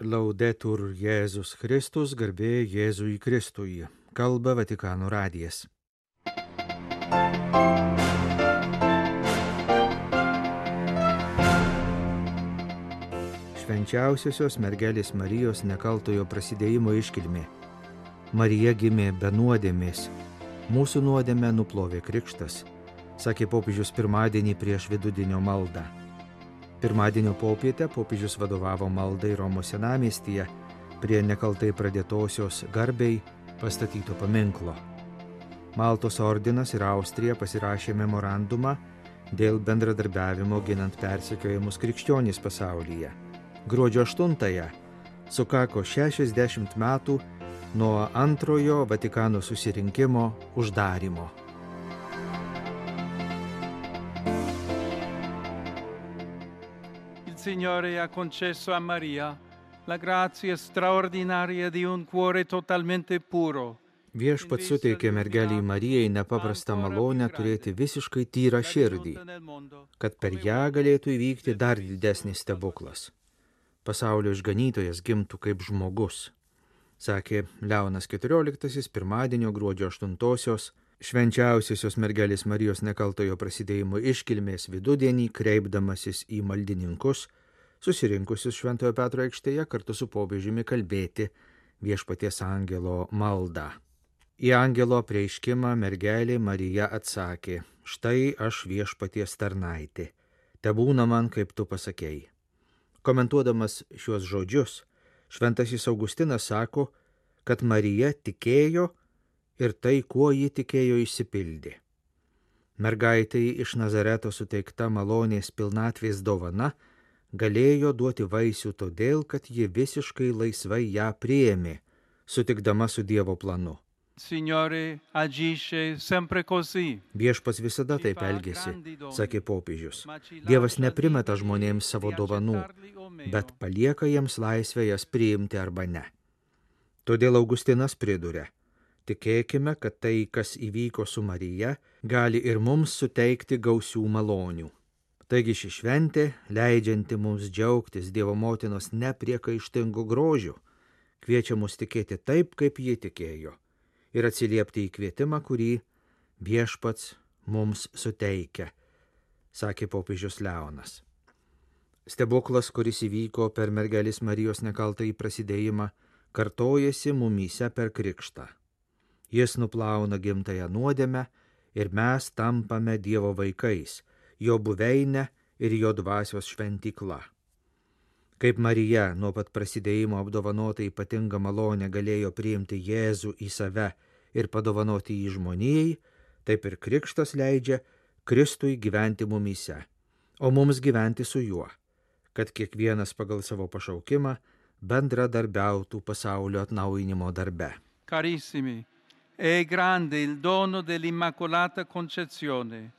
Laudetur Jėzus Kristus, garbė Jėzui Kristui. Kalba Vatikano radijas. Švenčiausiosios mergelės Marijos nekaltojo prasidėjimo iškilmė. Marija gimė be nuodėmės. Mūsų nuodėmę nuplovė krikštas, sakė popiežius pirmadienį prieš vidudienio maldą. Pirmadienio popietę popiežius vadovavo maldai Romos senamiestyje prie nekaltai pradėtosios garbei pastatyto paminklo. Maltos ordinas ir Austrija pasirašė memorandumą dėl bendradarbiavimo ginant persekiojamus krikščionys pasaulyje. Gruodžio 8-ąją sukako 60 metų nuo antrojo Vatikano susirinkimo uždarymo. Il Signore ha concesso a Maria la grazia straordinaria di un cuore totalmente puro. Viešpats suteikė mergeliai Marijai nepaprastą malonę turėti visiškai tyrą širdį, kad per ją galėtų įvykti dar didesnis stebuklas. Pasaulio išganytojas gimtų kaip žmogus, sakė Leonas XIV pirmadienio gruodžio 8-osios švenčiausiosios mergelės Marijos nekaltojo prasidėjimo iškilmės vidudienį, kreipdamasis į maldininkus, susirinkusius Šventojo Petro aikštėje kartu su popiežiumi kalbėti viešpaties angelo maldą. Į angelo apreiškimą mergelė Marija atsakė: štai aš viešpaties tarnaitė, tebūna man kaip tu pasakei. Komentuodamas šiuos žodžius, šventasis Augustinas sako, kad Marija tikėjo ir tai, kuo ji tikėjo, išsipildė. Mergaitei iš Nazareto suteikta malonės pilnatvės dovana galėjo duoti vaisių todėl, kad ji visiškai laisvai ją priėmė, sutikdama su Dievo planu. Signore agisce sempre così. Viešpats visada taip elgėsi, sakė popiežius. Dievas neprimeta žmonėms savo dovanų, bet palieka jiems laisvę jas priimti arba ne. Todėl Augustinas priduria: tikėkime, kad tai, kas įvyko su Marija, gali ir mums suteikti gausių malonių. Taigi ši šventė, leidžianti mums džiaugtis Dievo motinos nepriekaištingu grožiu, kviečia mus tikėti taip, kaip ji tikėjo, ir atsiliepti į kvietimą, kurį viešpats mums suteikia, sakė popiežius Leonas. Stebuklas, kuris įvyko per mergelės Marijos nekaltąjį prasidėjimą, kartojasi mumyse per krikštą. Jis nuplauna gimtąją nuodėmę ir mes tampame Dievo vaikais, jo buveinė ir jo dvasios šventykla. Kaip Marija nuo pat prasidėjimo apdovanota ypatingą malonę galėjo priimti Jėzų į save ir padovanoti jį žmonijai, taip ir krikštas leidžia Kristui gyventi mumyse, o mums gyventi su juo, kad kiekvienas pagal savo pašaukimą bendradarbiautų pasaulio atnaujinimo darbe. Carissimi, è grande il dono dell'Immacolata Concezione,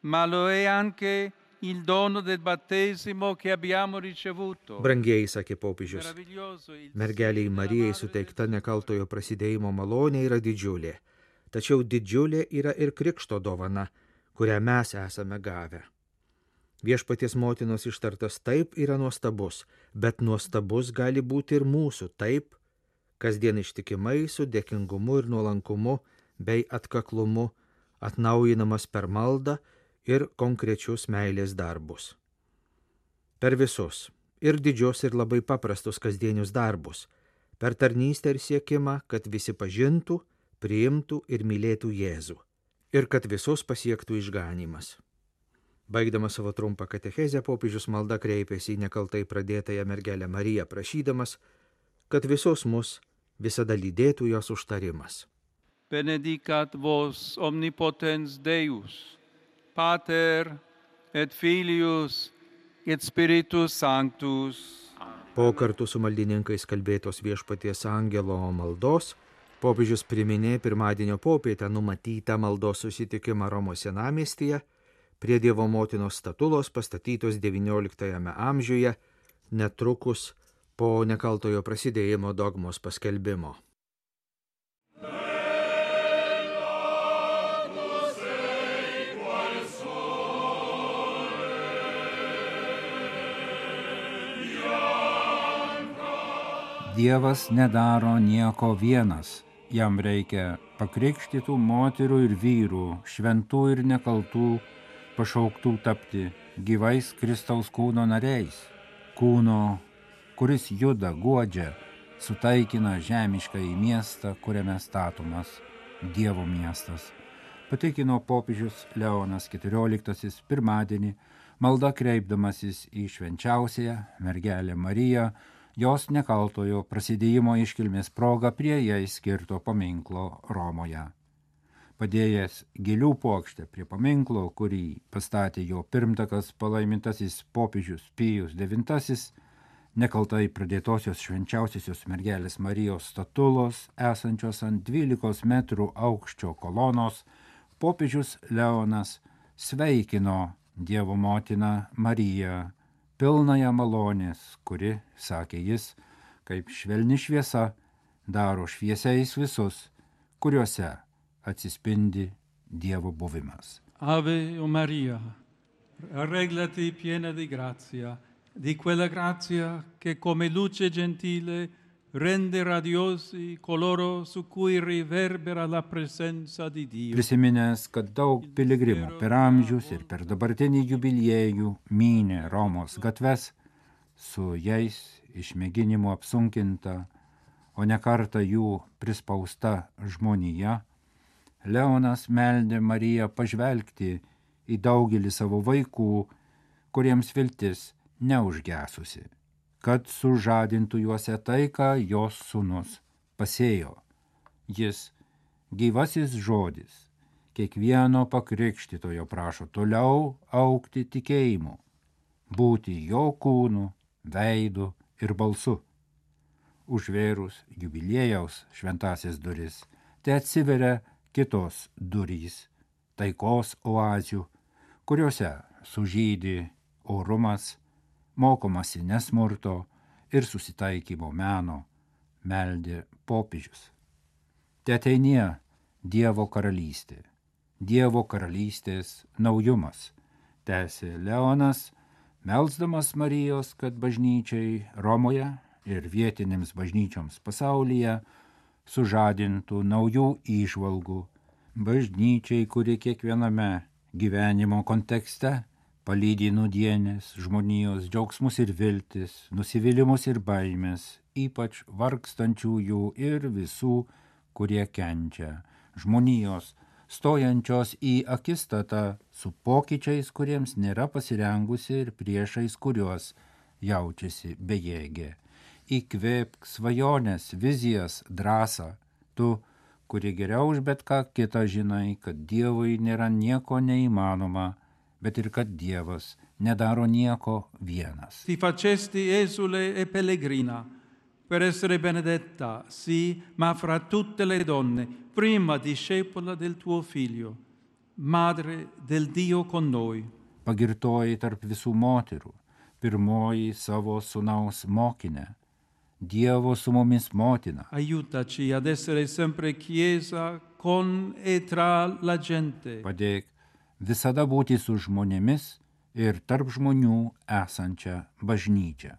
ma lo è anche il dono del battesimo che abbiamo ricevuto. Brangieji, sakė popiežius, mergeliai Marijai suteikta nekaltojo prasidėjimo malonė yra didžiulė, tačiau didžiulė yra ir krikšto dovana, kurią mes esame gavę. Viešpaties motinos ištartas taip yra nuostabus, bet nuostabus gali būti ir mūsų taip, kasdien ištikimai su dėkingumu ir nuolankumu bei atkaklumu atnaujinamas per maldą ir konkrečius meilės darbus. Per visus, ir didžius, ir labai paprastus kasdienius darbus, per tarnystę ir siekimą, kad visi pažintų, priimtų ir mylėtų Jėzų, ir kad visus pasiektų išganymas. Baigdamas savo trumpą katechezę, popiežius malda kreipėsi į nekaltai pradėtąją mergelę Mariją, prašydamas, kad visus mus visada lydėtų jos užtarimas. Benedicat vos omnipotens Deus, Pater et Filius et Spiritus Sanctus. Po kartu su maldininkais kalbėtos viešpaties angelo maldos, popiežius priminė pirmadienio popietę numatytą maldos susitikimą Romos senamiestyje prie Dievo motinos statulos pastatytos XIX amžiuje, netrukus po nekaltojo prasidėjimo dogmos paskelbimo. Dievas nedaro nieko vienas, jam reikia pakrikštytų moterų ir vyrų, šventų ir nekaltų, pašauktų tapti gyvais Kristaus kūno nariais, kūno, kuris juda, guodžia, sutaikina žemišką į miestą, kuriame statomas Dievo miestas. Patikino popiežius Leonas XIV pirmadienį, malda kreipdamasis į švenčiausiąją mergelę Mariją, jos nekaltojo prasidėjimo iškilmės proga prie jai skirto paminklo Romoje. Padėjęs gėlių puokštę prie paminklo, kurį pastatė jo pirmtakas palaimintasis popiežius Pijus IX, nekaltai pradėtosios švenčiausiosios mergelės Marijos statulos, esančios ant 12 metrų aukščio kolonos, popiežius Leonas sveikino Dievo motiną Mariją, pilnąją malonės, kuri, sakė jis, kaip švelni šviesa, daro šviesiais visus, kuriuose atsispindi Dievo buvimas. Ave o Maria, arreglati piena di grazia, di quella grazia che come luce gentile rende radiosi coloro su cui riverbera la presenza di Dio. Prisiminęs, kad daug piligrimų per amžius ir per dabartinį jubiliejų mynė Romos gatves, su jais išmėginimu apsunkinta, o ne kartą jų prispausta žmonija, Leonas meldė Mariją pažvelgti į daugelį savo vaikų, kuriems viltis neužgesusi, kad sužadintų juose tai, ką jos sūnus pasėjo. Jis, gyvasis žodis, kiekvieno pakrikštytojo prašo toliau augti tikėjimu, būti jo kūnu, veidu ir balsu. Užvėrus jubiliejaus šventasias duris, tai atsiveria kitos durys, taikos oazių, kuriuose sužydi orumas, mokomasi nesmurto ir susitaikymo meno, meldė popiežius. Te ateinie Dievo karalystė, Dievo karalystės naujumas, tęsė Leonas, melsdamas Marijos, kad bažnyčiai Romoje ir vietinėms bažnyčioms pasaulyje sužadintų naujų įžvalgų, bažnyčiai, kuri kiekviename gyvenimo kontekste palydi nūdienės žmonijos džiaugsmus ir viltis, nusivylimus ir baimės, ypač vargstančiųjų ir visų, kurie kenčia, žmonijos, stojančios į akistatą su pokyčiais, kuriems nėra pasirengusi ir priešais, kuriuos jaučiasi bejėgė. Įkvėpk svajonės, vizijas, drąsą, tu, kuri geriau už bet ką kitą žinai, kad Dievui nėra nieko neįmanoma, bet ir kad Dievas nedaro nieko vienas. Ti facesti esule e pellegrina, per essere benedetta, sì, ma fra tutte le donne, prima discepola del tuo figlio, madre del Dio con noi. Pagirtoji tarp visų moterų, pirmoji savo sūnaus mokinė, Dievo su mumis motina. Aiutaci ad essere sempre chiesa con e tra la gente. Padėk visada būti su žmonėmis ir tarp žmonių esančią bažnyčią.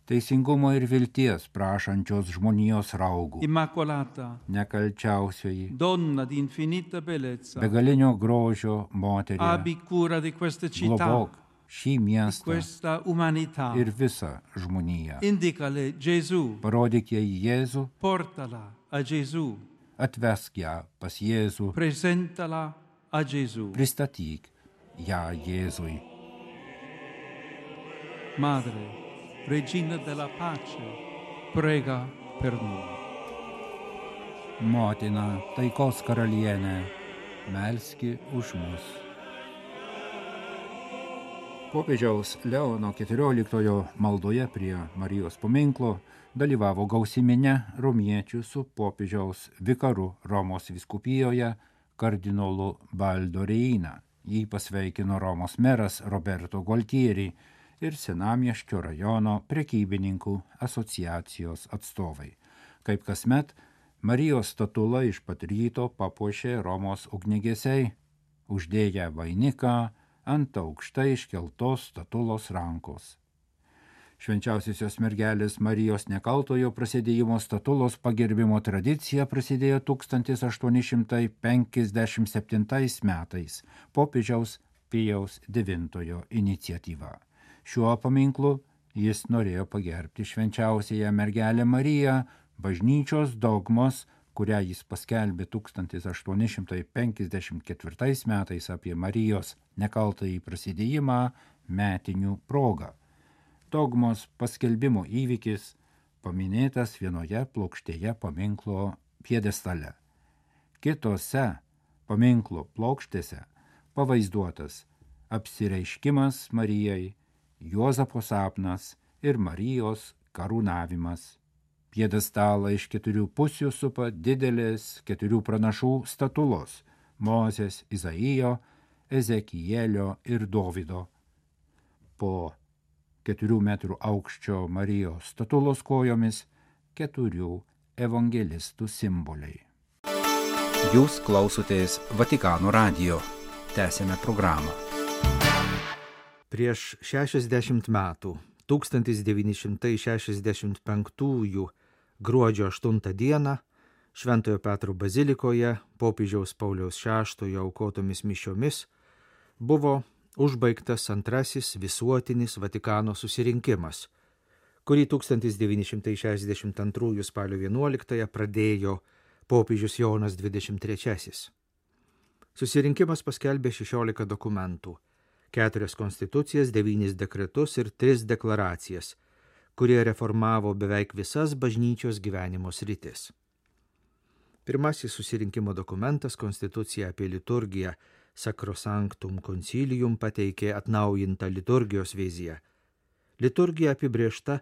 Teisingumo ir vilties prašančios žmonijos raugų. Immacolata, nekalčiausioji, donna di infinita bellezza, begalinio grožio moterie, abbi cura di questa città, globok šį di miestą questa umanità. ir visą žmoniją. Indicale Gesù, Parodyk jai Jėzų, portala a Gesù, atvesk ją pas Jėzų, presentala a Gesù. pristatyk ją Jėzui. Madre, Regina della pace, prega per noi. Motina, taikos karalienė, melski už mus. Popiežiaus Leono XIV maldoje prie Marijos paminklo dalyvavo gausi minia romiečių su popiežiaus vikaru Romos vyskupijoje kardinolu Baldo Reina. Jį pasveikino Romos meras Roberto Gualtieri ir Senamiesčio rajono prekybininkų asociacijos atstovai. Kaip kasmet, Marijos statula iš pat ryto papuošė Romos ugniagesiai, uždėję vainiką ant aukštai iškeltos statulos rankos. Švenčiausiosios mergelės Marijos Nekaltojo prasidėjimo statulos pagerbimo tradicija prasidėjo 1857 metais popiežiaus Pijaus IX iniciatyva. Šiuo paminklu jis norėjo pagerbti švenčiausiąją mergelę Mariją, bažnyčios dogmos, kurią jis paskelbė 1854 metais apie Marijos Nekaltąjį prasidėjimą metinių progą. Dogmos paskelbimo įvykis paminėtas vienoje plokštėje paminklo pjedestale. Kitose paminklo plokštėse pavaizduotas apsireiškimas Marijai, Juozapo sapnas ir Marijos karūnavimas. Pjedestalą iš 4 pusių supa didelės 4 pranašų statulos – Mozės, Izaijo, Ezekielio ir Dovydo. Po 4 metrų aukščio Marijos statulos kojomis 4 evangelistų simboliai. Jūs klausotės Vatikano radijo. Tęsiame programą. Prieš 60 metų, 1965 gruodžio 8 dieną, Šventojo Petro bazilikoje popiežiaus Pauliaus VI aukotomis mišiomis buvo užbaigtas antrasis visuotinis Vatikano susirinkimas, kurį 1962 spalio 11 pradėjo popiežius Jonas XXIII. Susirinkimas paskelbė 16 dokumentų, 4 konstitucijas, 9 dekretus ir 3 deklaracijas, kurie reformavo beveik visas bažnyčios gyvenimo sritis. Pirmasis susirinkimo dokumentas, konstitucija apie liturgiją, Sacrosanctum Concilium, pateikė atnaujintą liturgijos viziją. Liturgija apibrėžta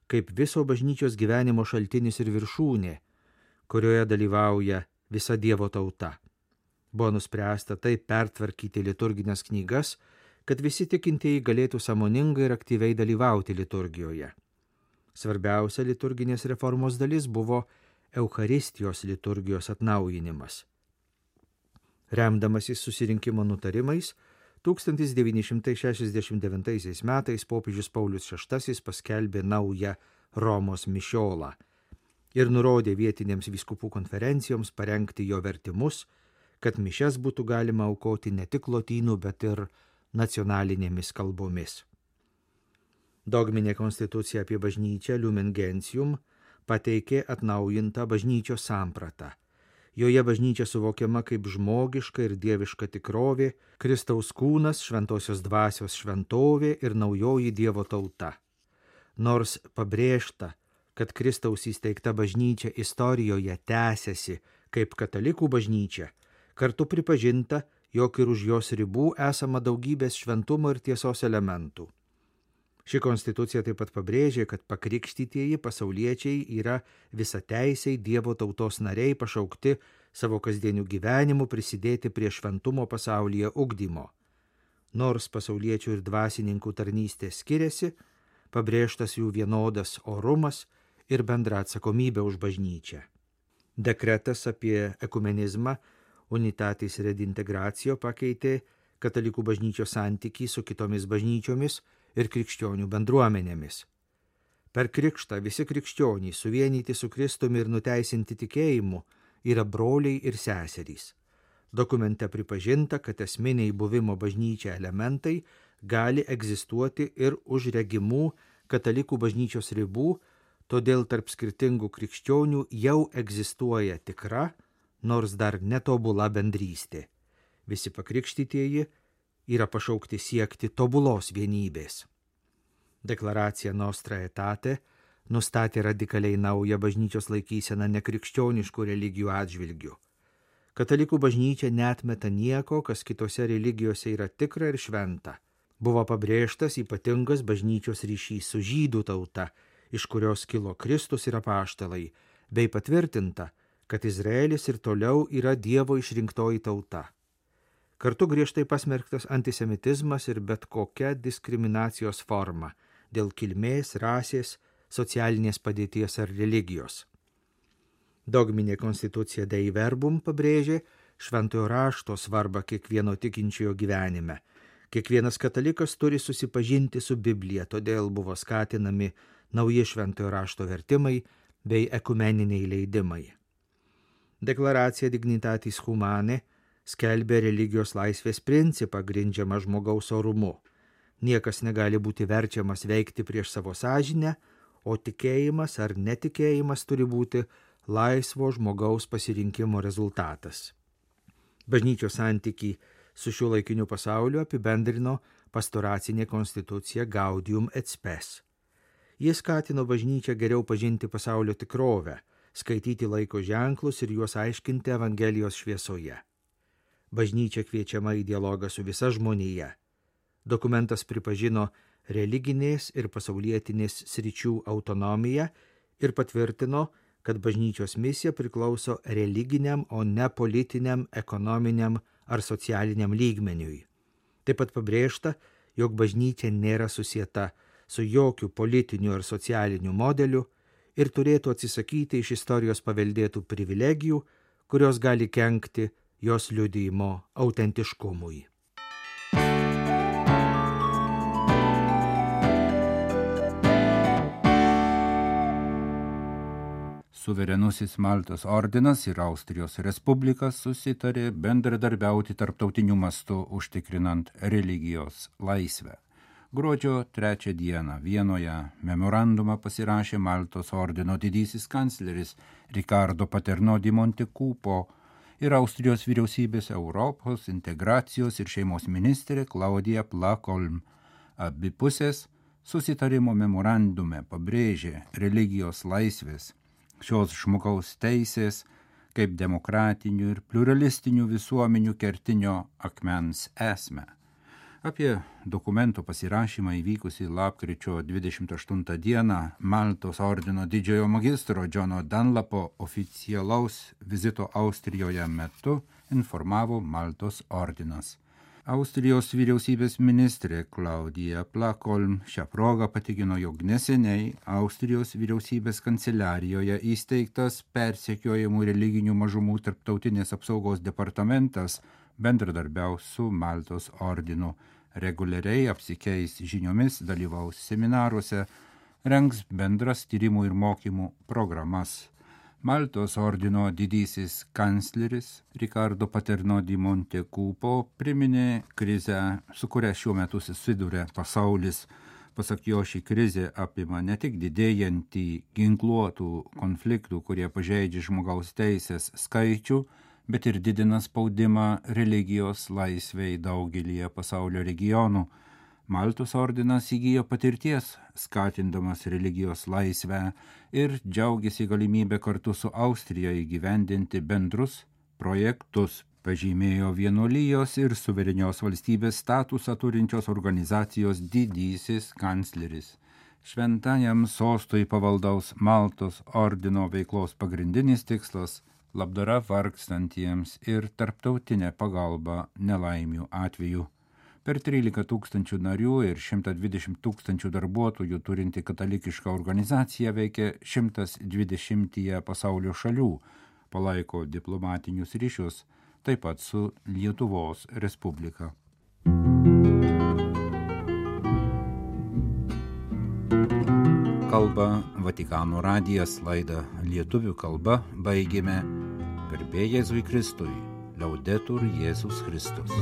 kaip viso bažnyčios gyvenimo šaltinis ir viršūnė, kurioje dalyvauja visa Dievo tauta. Buvo nuspręsta taip pertvarkyti liturginės knygas, kad visi tikintieji galėtų sąmoningai ir aktyviai dalyvauti liturgijoje. Svarbiausia liturginės reformos dalis buvo Eucharistijos liturgijos atnaujinimas. Remdamasis susirinkimo nutarimais, 1969 metais popiežius Paulius VI paskelbė naują Romos mišiolą ir nurodė vietinėms vyskupų konferencijoms parengti jo vertimus, kad mišias būtų galima aukoti ne tik lotynų, bet ir nacionalinėmis kalbomis. Dogminė konstitucija apie bažnyčią Lumen Gentium pateikė atnaujintą bažnyčios sampratą. Joje bažnyčia suvokiama kaip žmogiška ir dieviška tikrovė, Kristaus kūnas, šventosios dvasios šventovė ir naujoji Dievo tauta. Nors pabrėžta, kad Kristaus įsteigta bažnyčia istorijoje tęsiasi kaip katalikų bažnyčia, kartu pripažinta, jog ir už jos ribų esama daugybės šventumo ir tiesos elementų. Ši konstitucija taip pat pabrėžė, kad pakrikštytieji pasauliečiai yra visateisiai Dievo tautos nariai pašaukti savo kasdienių gyvenimų prisidėti prie šventumo pasaulyje ugdymo. Nors pasauliečių ir dvasininkų tarnystė skiriasi, pabrėžtas jų vienodas orumas ir bendra atsakomybė už bažnyčią. Dekretas apie ekumenizmą Unitatis Redintegracio pakeitė katalikų bažnyčios santykį su kitomis bažnyčiomis ir krikščionių bendruomenėmis. Per krikštą visi krikščionys suvienyti su Kristumi ir nuteisinti tikėjimu yra broliai ir seserys. Dokumente pripažinta, kad esminiai buvimo bažnyčia elementai gali egzistuoti ir už regimų katalikų bažnyčios ribų, todėl tarp skirtingų krikščionių jau egzistuoja tikra, nors dar netobula bendrystė. Visi pakrikštytieji yra pašaukti siekti tobulos vienybės. Deklaracija Nostra Aetate nustatė radikaliai naują bažnyčios laikyseną nekrikščioniškų religijų atžvilgių. Katalikų bažnyčia neatmeta nieko, kas kitose religijose yra tikra ir šventa. Buvo pabrėžtas ypatingas bažnyčios ryšys su žydų tauta, iš kurios kilo Kristus ir apaštalai, bei patvirtinta, kad Izraelis ir toliau yra Dievo išrinktoji tauta. Kartu griežtai pasmerktas antisemitizmas ir bet kokia diskriminacijos forma dėl kilmės, rasės, socialinės padėties ar religijos. Dogminė konstitucija Dei Verbum pabrėžė šventojo rašto svarbą kiekvieno tikinčiojo gyvenime, Kiekvienas katalikas turi susipažinti su Biblija, todėl buvo skatinami nauji šventojo rašto vertimai bei ekumeniniai leidimai. Deklaracija Dignitatis Humanae skelbė religijos laisvės principą grindžiamą žmogaus orumu. Niekas negali būti verčiamas veikti prieš savo sąžinę, o tikėjimas ar netikėjimas turi būti laisvo žmogaus pasirinkimo rezultatas. Bažnyčios santykį su šiuolaikiniu pasauliu apibendrino pastoracinė konstitucija Gaudium et Spes. Jis skatino bažnyčią geriau pažinti pasaulio tikrovę, skaityti laiko ženklus ir juos aiškinti Evangelijos šviesoje. Bažnyčia kviečiama į dialogą su visa žmonija. Dokumentas pripažino religinės ir pasaulietinės sričių autonomiją ir patvirtino, kad bažnyčios misija priklauso religiniam, o ne politiniam, ekonominiam ar socialiniam lygmeniui. Taip pat pabrėžta, jog bažnyčia nėra susieta su jokiu politiniu ar socialiniu modeliu ir turėtų atsisakyti iš istorijos paveldėtų privilegijų, kurios gali kenkti jos liudijimo autentiškumui. Suverenusis Maltos ordinas ir Austrijos Respublika susitarė bendradarbiauti tarptautiniu mastu užtikrinant religijos laisvę. Gruodžio 3 dieną Vienoje memorandumą pasirašė Maltos ordino didysis kancleris Riccardo Paterno di Montecupo ir Austrijos vyriausybės Europos integracijos ir šeimos ministrė Claudia Plakolm. Abi pusės susitarimo memorandume pabrėžė religijos laisvės, šios žmogaus teisės kaip demokratinių ir pluralistinių visuomenių kertinio akmens esmę. Apie dokumento pasirašymą įvykusį lapkričio 28 dieną Maltos ordino didžiojo magistro Johno Dunlapo oficialaus vizito Austrijoje metu informavo Maltos ordinas. Austrijos vyriausybės ministrė Claudia Plakolm šią progą patikino, jog neseniai Austrijos vyriausybės kanceliarijoje įsteigtas persekiojamų religinių mažumų tarptautinės apsaugos departamentas bendradarbiaus su Maltos ordinu, reguliariai apsikeis žiniomis, dalyvaus seminaruose, rengs bendras tyrimų ir mokymų programas. Maltos ordino didysis kancleris Riccardo Paterno di Montecupo priminė krizę, su kuria šiuo metu susiduria pasaulis. Pasak jo, ši krizė apima ne tik didėjantį ginkluotų konfliktų, kurie pažeidžia žmogaus teisės skaičių, bet ir didina spaudimą religijos laisvei daugelyje pasaulio regionų. Maltos ordinas įgijo patirties, skatindamas religijos laisvę ir džiaugiasi galimybę kartu su Austrija įgyvendinti bendrus projektus, pažymėjo vienuolijos ir suverenios valstybės statusą turinčios organizacijos didysis kancleris. Šventajam sostui pavaldaus Maltos ordino veiklos pagrindinis tikslas – labdara vargstantiems ir tarptautinė pagalba nelaimių atveju. Per 13 000 narių ir 120 000 darbuotojų turinti katalikiška organizacija veikia 120 pasaulio šalių, palaiko diplomatinius ryšius, taip pat su Lietuvos Respublika. Kalba Vatikano radijas, laidą lietuvių kalba baigėme. Garbė Jėzui Kristui, Laudetur Jėzus Kristus.